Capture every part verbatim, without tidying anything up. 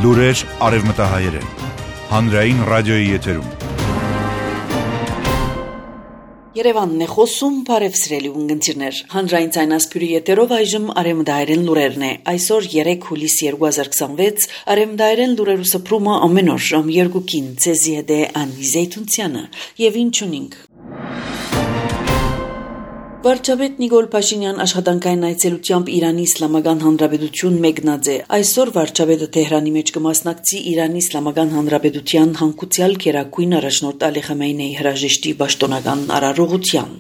Լուրեր արևմտահայերեն, հանրային ռադիոյի եթերում։ Երևանն է խոսում, բարև սիրելի ունգընտիրներ։ Հանրային ցայնասպյուրի եթերով այժմ արևմտահայերեն լուրերն է։ Այսօր երեք հուլիս երկու հազար քսանվեց արևմտահայերեն լուրերու սփռումը ամեն օր ժամ երկուքին ցեզի հետ է Անի Զեյթունցյանը եւ ինչ ունենք։ Վարչապետ Նիկոլ Փաշինյան աշխատանքային այցելությամբ Իրանի Իսլամական Հանրապետություն մեկնած է։ Այսօր վարչապետը Թեհրանի մեջ կմասնակցի Իրանի Իսլամական Հանրապետության հանգուցյալ գերագույն առաջնորդ Ալի Խամենեի հրաժեշտի պաշտոնական արարողության։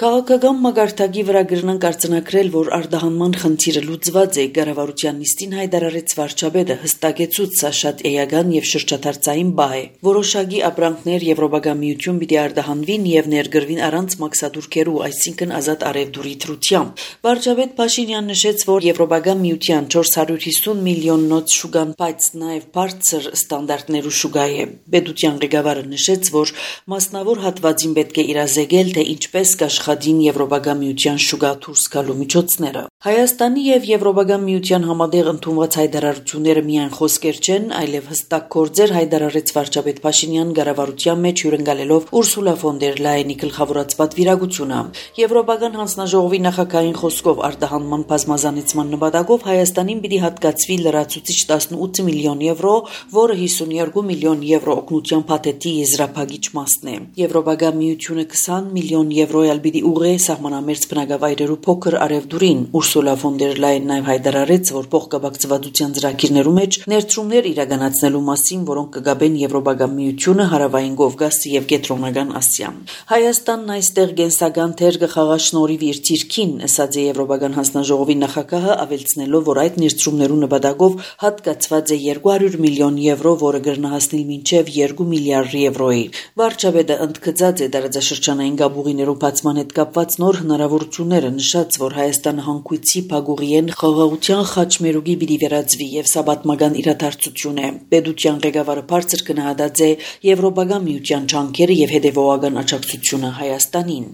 Քաղաքական մագարտակի վրա գրնանք արձանագրել, որ արտահանման խնդիրը լուծված է, կառավարության նիստին հայտարարեց վարչապետը, հստակեցուց սա շատ էական եւ շրջադարձային բահ է։ Որոշակի ապրանքներ Եվրոպական միություն պիտի արտահանվին եւ ներգրվին առանց մաքսատուրքերու, այսինքն ազատ արևդուրի թրությամբ։ Վարչապետ Փաշինյանն նշեց, որ Եվրոպական միության չորս հարյուր հիսուն միլիոննոց շուգան, բայց նաեւ բարձր ստանդարտներու շուգա է։ Պետության ղեկավարը նշեց, որ մասնավոր հատվածին պետք է իրազեկել, թե ինչպես կաշխատին Եվրոպական միության շուգա դուրս գալու միջոցները։ Հայաստանի եւ Եվրոպական միության համատեղ ընդունված հայտարարությունները միայն խոսքեր չեն, այլև հստակ գործեր հայտարարեց վարչապետ Փաշինյան կառավարության մեջ հյուրընկալելով Ուրսուլա ֆոն դեր Լայենի գլխավորած պատվիրակությունը։ Եվրոպական հանձնաժողովի նախագահային խոսքով արտահանման բազմազանեցման նպատակով Հայաստանին պիտի հատկացվի լրացուցիչ տասնութ միլիոն եվրո, որը հիսունյոթ միլիոն եվրո օգնության փաթեթի եզրափակիչ մասն է։ Եվրոպական միությունը քսան միլիոն եվրո պիտի ուղղի սահմանամերձ բնակավայրերու փոքր արևդուրին։ Ուրսուլա ֆոն դեր Լայեն նաև հայտարարեց, որ փոխկապակցվածության ծրագիրներու մեջ ներդրումներ իրականացնելու մասին, որոնք կգաբեն Եվրոպական միությունը, Հարավային Կովկասը եւ Կենտրոնական Ասիան։ Հայաստանն այստեղ գենսական թեր կխաղա շնորհիվ իր թիրքին, ասաց է Եվրոպական հանձնաժողովի նախագահը, ավելցնելով, որ այդ ներդրումներու նպատակով հատկացված է երկու հարյուր միլիոն եվրո, որը կգնահատել մինչև երկու միլիարդ եվրոյի։ Վարչապետը ընդգծած է տարածաշրջանային գաբուղիներու բացման հետ կապված նոր հնարավորությունները, նշած, որ Հայաստանը հանգույցի փագուղիեն խաղաղության խաչմերուկի պիտի վերածվի եւ սա պատմական իրադարձություն է։ Պետության ղեկավարը բարձր գնահատած է Եվրոպական միության ջանքերը եւ հետեւողական աջակցությունը Հայաստանին։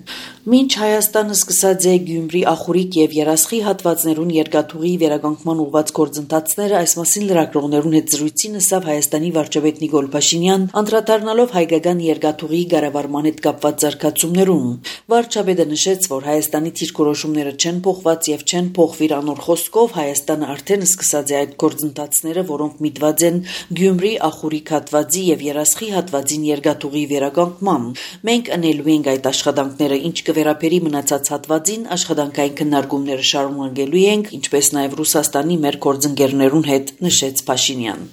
Մինչ Հայաստանը սկսած է Գյումրի, Ախուրիկ եւ Երասխի հատվածներուն երկաթուղի վերականգնման ուղղված գործընթացները, այս մասին լրագրողներուն հետ զրույցին ասավ Հայաստանի վարչապետ Նիկոլ Փաշինյան, անդրադառնալով հայկական երկաթուղի կառավարման հետ կապված զարգացումներուն։ Վարչապետը նշեց, որ Հայաստանի դիրքորոշումները չեն փոխված եւ չեն փոխվի անոր խոսքով Հայաստանը արդեն սկսած է այդ գործընթացները, որոնք միտված են Գյումրի, Ախուրիկ հատվածի եւ Երասխի հատվածին երկաթուղի վերականգնման։ Մենք անելու ենք այդ աշխատանքները, ինչ կվերապերի մնացած հատվածին, աշխատանքային քննարկումները շարունակելու ենք, ինչպես նաեւ Ռուսաստանի մեր գործընկերներուն հետ, նշեց Փաշինյան։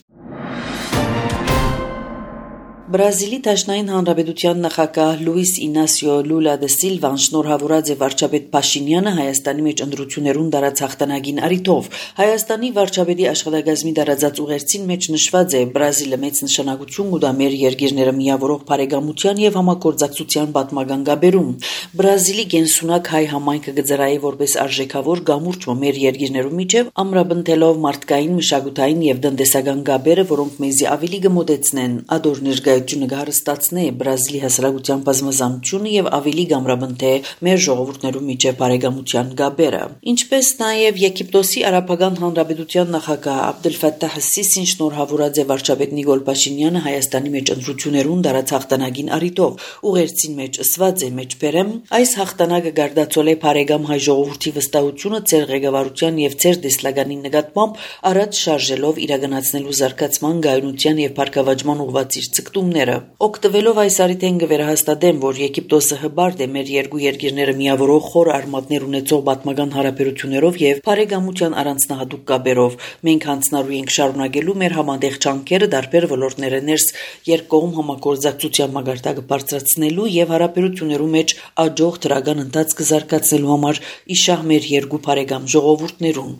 Բրազիլի Դաշնային Հանրապետության նախագահ Լուիս Ինասիո Լուլա դե Սիլվան շնորհավորած է վարչապետ Փաշինյանը Հայաստանի մեջ ընտրություններուն դարած հաղթանակին առիթով։ Հայաստանի վարչապետի աշխատակազմի դարածած ուղերձին մեջ նշված է Բրազիլը մեծ նշանակություն կուտա մեր երկիրները միավորող բարեկամության եւ համագործակցության պատմական գաբերում։ Բրազիլի գենսունակ հայ համայնքը գծրայի որպես արժեքավոր գամուրջ մեր երկիրներու միջև ամրապնդելով մարդկային, մշակութային եւ տնտեսական գաբերը, որոնք մեզի ավելի կմոտեցնեն ադոր ներկայությունը կհարստացնի Բրազիլի հասարակության բազմազանությունը եւ ավելի կամրապնդի մեր ժողովուրդներու միջև բարեկամության գաբերը։ Ինչպես նաեւ Եգիպտոսի Արաբական Հանրապետության նախագահ Աբդել Ֆաթահ Սիսին շնորհավորած է վարչապետ Նիկոլ Փաշինյանը Հայաստանի մեջ ընտրություններուն դարած հաղթանակին առիթով։ Ուղերձին մեջ ասված է մեջբերեմ, այս հաղթանակը գարդացել է բարեկամ հայ ժողովրդի վստահությունը ձեր ղեկավարության եւ ձեր դեսլագանի նկատմամբ առաջ շարժելով իրականացնելու զարգացման, գայունության եւ բարգավաճման ուղղված իր ցկտումները։ Օգտվելով այս առիթեն կվերահաստատեմ, որ Եգիպտոսը հբարդ է մեր երկու երկիրները միավորող խոր արմատներ ունեցող պատմական հարաբերություններով եւ բարեկամության առանձնահատուկ կապերով։ Մենք հանձնարարու ենք շարունակելու մեր համատեղ ջանքերը տարբեր ոլորտները ներս երկկողմ համագործակցության մագարտակը բարձրացնելու եւ հարաբերություններու մեջ աջող դրական ընթացք զարգացնելու համար իշահ մեր երկու բարեկամ ժողովուրդներուն։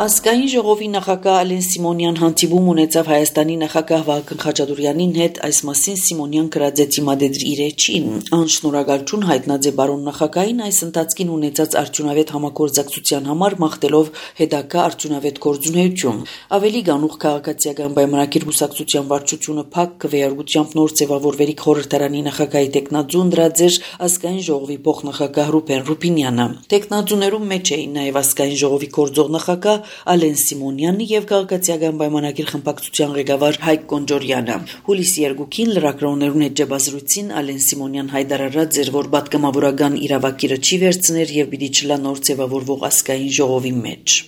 Ազգային ժողովի նախագահ Ալեն Սիմոնյան հանդիպում ունեցավ Հայաստանի նախագահ Վահագն Խաչատուրյանին հետ, այս մասին Սիմոնյան գրած է դիմադեդր իր էջին։ Անշնորհակալություն հայտնած է բարոն նախագահին այս ընթացքին ունեցած արդյունավետ համագործակցության համար, մաղթելով հետագա արդյունավետ գործունեություն։ Ավելի գանուխ քաղաքացիական պայմանագիր կուսակցության վարչությունը փակ քվեարկությամբ նոր ձևավորվերի խորհրդարանի նախագահի տեխնաձուն դրած էր ազգային ժողովի փոխնախագահ Ռուբեն Ռուբինյանը։ Տեխնաձուներում մեջ էին նաև ազգային ժողովի գործող նախագահ Ալեն Սիմոնյանն եւ քաղաքացիական պայմանագիր խմբակցության ղեկավար Հայկ Կոնջորյանը։ Հուլիսի երկուքին լրագրողներուն հետ ջաբազրույցին Ալեն Սիմոնյան հայտարարած էր, որ պատգամավորական իրավակիրը չի վերցներ եւ պիտի չլա նոր ձևավորվող ազգային ժողովի մեջ։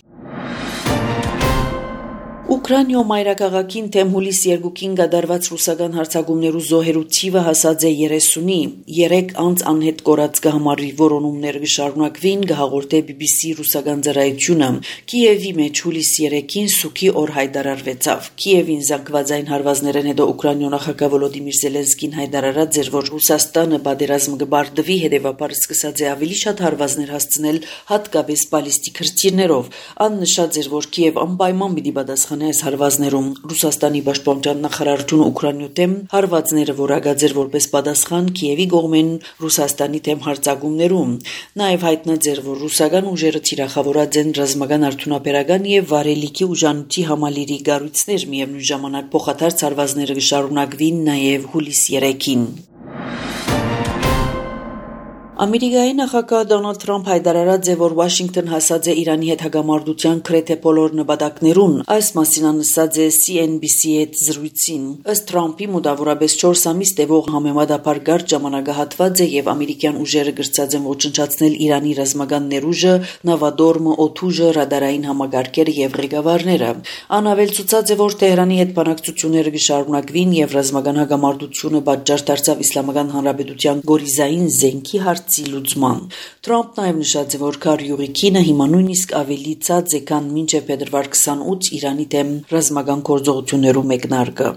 Ուկրաինայո մայրաքաղաքին թեմ հուլիսի երկուքին գդարված ռուսական հարձակումներու զոհերու թիվը հասած է երեսունի, երեք անց անհետ կորած կհամարի որոնումներ կշարունակվին, կհաղորդե բի բի սի ռուսական ծառայությունը։ Կիևի մեջ հուլիսի երեքին սուքի օր հայտարարվեցավ։ Կիևին զանգվածային հարվածներեն հետո Ուկրաինայո նախագահ Վոլոդիմիր Զելենսկին հայտարարած էր, որ Ռուսաստանը պատերազմ կբարդվի, հետևաբար սկսած է ավելի շատ հարվածներ հասցնել, հատկապես բալիստիկ հրթիռներով։ Ան նշած էր, որ Կիև անպայման պիտի պատասխանի այս հարվածներում։ Ռուսաստանի պաշտպանության նախարարությունը Ուկրաինայո դեմ հարվածները որակած էր որպես պատասխան Կիևի կողմեն Ռուսաստանի դեմ հարձակումներում։ Նաև հայտնած էր, որ ռուսական ուժերը թիրախավորած են ռազմական արդյունաբերական եւ վարելիքի ուժանույթի համալիրի կառույցներ, միևնույն ժամանակ փոխադարձ հարվածները կշարունակվին նաև հուլիսի երեքին։ Ամերիկայի նախագահ Դոնալդ Թրամփ հայտարարած է, որ Վաշինգտոն հասած է Իրանի հետ հագամարտության գրեթե բոլոր նպատակներուն։ Այս մասին ասած է սի են բի սի հետ զրույցին։ Ըստ Թրամփի մոտավորապես չորս ամիս տևող համեմատաբար կարճ ժամանակահատված է եւ ամերիկյան ուժերը գրծած են ոչնչացնել Իրանի ռազմական ներուժը, նավադորմը, օդուժը, ռադարային համակարգերը եւ ղեկավարները։ Անավել ցուցած է, որ Թեհրանի հետ բանակցությունները կշարունակվին եւ ռազմական հագամարտությունը պատճառ դարձավ Իսլամական Հանրապետության գորիզային զենքի լուծման։ Թրամփն նաև նշած է, որ քարյուղի քինը հիմա նույնիսկ ավելի ցած է, քան մինչև փետրվար քսանութ Իրանի դեմ ռազմական գործողություններու մեկնարկը։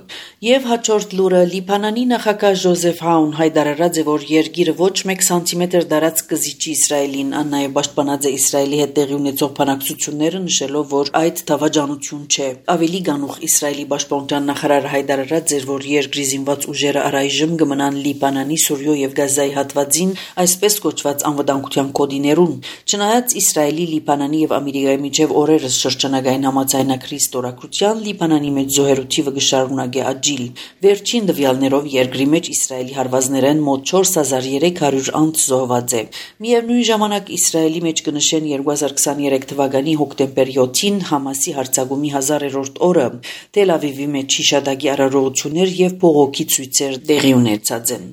Եվ հաջորդ լուրը Լիբանանի նախագահ Ջոզեֆ Աուն հայտարարած է, որ երկիրը ոչ մեկ սանտիմետր դարած կզիջի Իսրայելին, ան նաև պաշտպանած է Իսրայելի հետ տեղի ունեցող բանակցությունները, նշելով, որ այդ դավաճանություն չէ։ Ավելի գանուխ Իսրայելի պաշտպանության նախարարը հայտարարած էր, որ երկրի զինված ուժերը առայժմ կմնան Լիբանանի, Սուրիո եւ Գազայի հատվածին, այսպես կոչված անվտանգության կոդիներուն։ Չնայած Իսրայելի, Լիբանանի եւ Ամերիկայի միջև օրերս շրջանագային համաձայնագրի ստորագրության, Լիբանանի մեջ զոհերու թիվը կշարունակի աճիլ։ Վերջին տվյալներով երկրի մեջ Իսրայելի հարվածներեն մոտ չորս հազար երեք հարյուր անց զոհված է։ Միևնույն ժամանակ Իսրայելի մեջ կնշեն երկու հազար քսաներեք թվականի հոկտեմբեր յոթին Համասի հարձակումի հազարերորդ օրը։ Տել Ավիվի մեջ հիշադակի արարողություններ եւ բողոքի ցույցեր տեղի ունեցած են։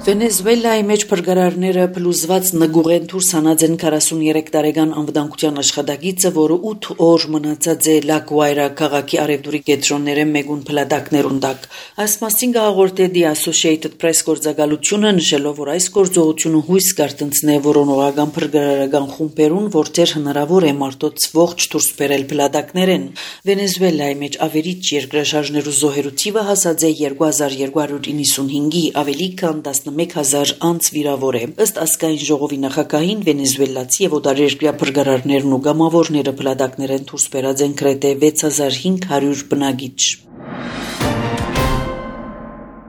Վենեսուելայի մեջ փրկարարները փլուզված նգուղեն դուրս հանած են քառասուններեք տարեկան անվտանգության աշխատակիցը, որը ութ օր մնացած է Լա Գուայրա քաղաքի արևդուրի կենտրոնները մեկուն փլատակներուն տակ։ Այս մասին հաղորդե The Associated Press գործակալությունը, նշելով, որ այս գործողությունը հույս կարտնցնե որոնողական փրկարարական խումբերուն, որտեղ հնարավոր է մարդոց ողջ դուրս բերել փլատակներեն։ Վենեսուելայի մեջ ավերիչ երկրաշարժներու զոհերու թիվը հասած է երկու հազար երկու հարյուր իննսունհինգի, ավելի քան մեկ հազար անց վիրավոր է։ Ըստ ազգային ժողովի նախագահին վենեսուելացի եւ օտարերկրյա փրկարարներն ու գամավորները փլատակներեն դուրս բերած են գրեթե վեց հազար հինգ հարյուր բնակիչ։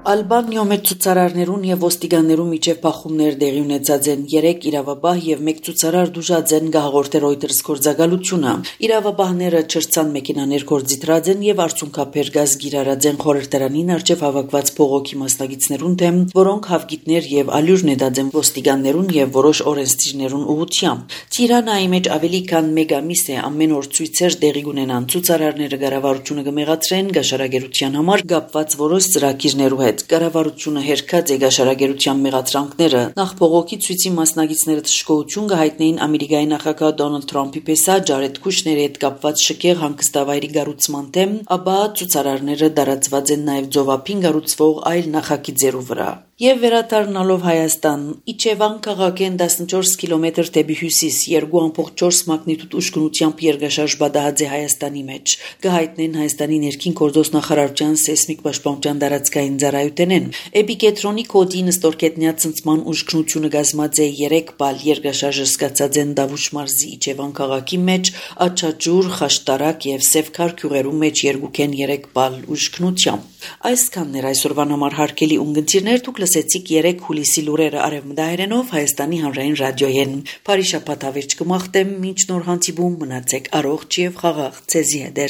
Ալբանիո մեջ ցուցարարներուն եւ ոստիկաններուն միջև բախումներ տեղի ունեցած են։ Երեք իրավաբահ եւ մեկ ցուցարար դժուժած են, հաղորդե Reuters գործակալությունը։ Իրավաբահները չրցան մեքենաներ գործիտրած են եւ արդյունքաբեր գազ գիրարած են խորհրդարանին արչեւ հավաքված փողոքի մասնակիցներուն դեմ, որոնք հավգիտներ եւ ալյուր նետած են ոստիկաններուն եւ որոշ օրենսդիրներուն ուղղությամբ։ Տիրանայի մեջ ավելի քան մեկ ամիս է ամեն օր ցույցեր տեղի ունենան։ Ցուցարարները կառավարությունը կմեղադրեն գաշարագերության համար կապված որոշ ծրագիրներու հետ։ Կառավարությունը հերքած է գաշարագերության մեղադրանքները։ Նախ փողոքի ցույցի մասնակիցները թշկողություն կհայտնեին Ամերիկայի նախագահ Դոնալդ Թրամփի պես Ջարեդ Քուշների հետ կապված շքեղ հանգստավայրի կառուցման դեմ, ապա ցուցարարները դարածված են նաև ծովափին կառուցվող այլ նախագիծերու վրա։ Եվ վերադառնալով Հայաստան, Իջևան քաղաքեն տասնչորս կիլոմետր դեպի հյուսիս, երկու ամբողջ չորս մագնիտուդ ուժգնությամբ երկրաշարժ բադահած է Հայաստանի մեջ։ Կհայտնեն Հայաստանի ներքին գործոս նախարարության սեյսմիկ պաշտպանության տարածքային ծառայությունեն։ Էպիկենտրոնի կոդի նստորկետնյա ցնցման ուժգնությունը կազմած է երեք բալ, երկրաշարժը սկսած են Դավուշ մարզի Իջևան քաղաքի մեջ, Աչաջուր, Խաշտարակ եւ Սևքար գյուղերու մեջ երկուքեն երեք բալ ուժգնությամբ։ Այսքանն էր այսօրվան համար հարգելի ունգընտիրներ, դուք լսեցիք երեք հուլիսի լուրերը արևմտահայերենով Հայաստանի հանրային ռադիոյեն։ Բարի շաբաթ ավերջ կմաղթեմ, մինչ նոր հանդիպում մնացեք առողջ եւ խաղաղ, ցեզի հետ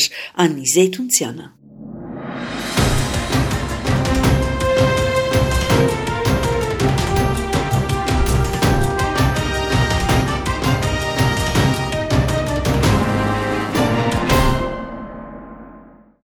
Անի Զեյթունցյանը։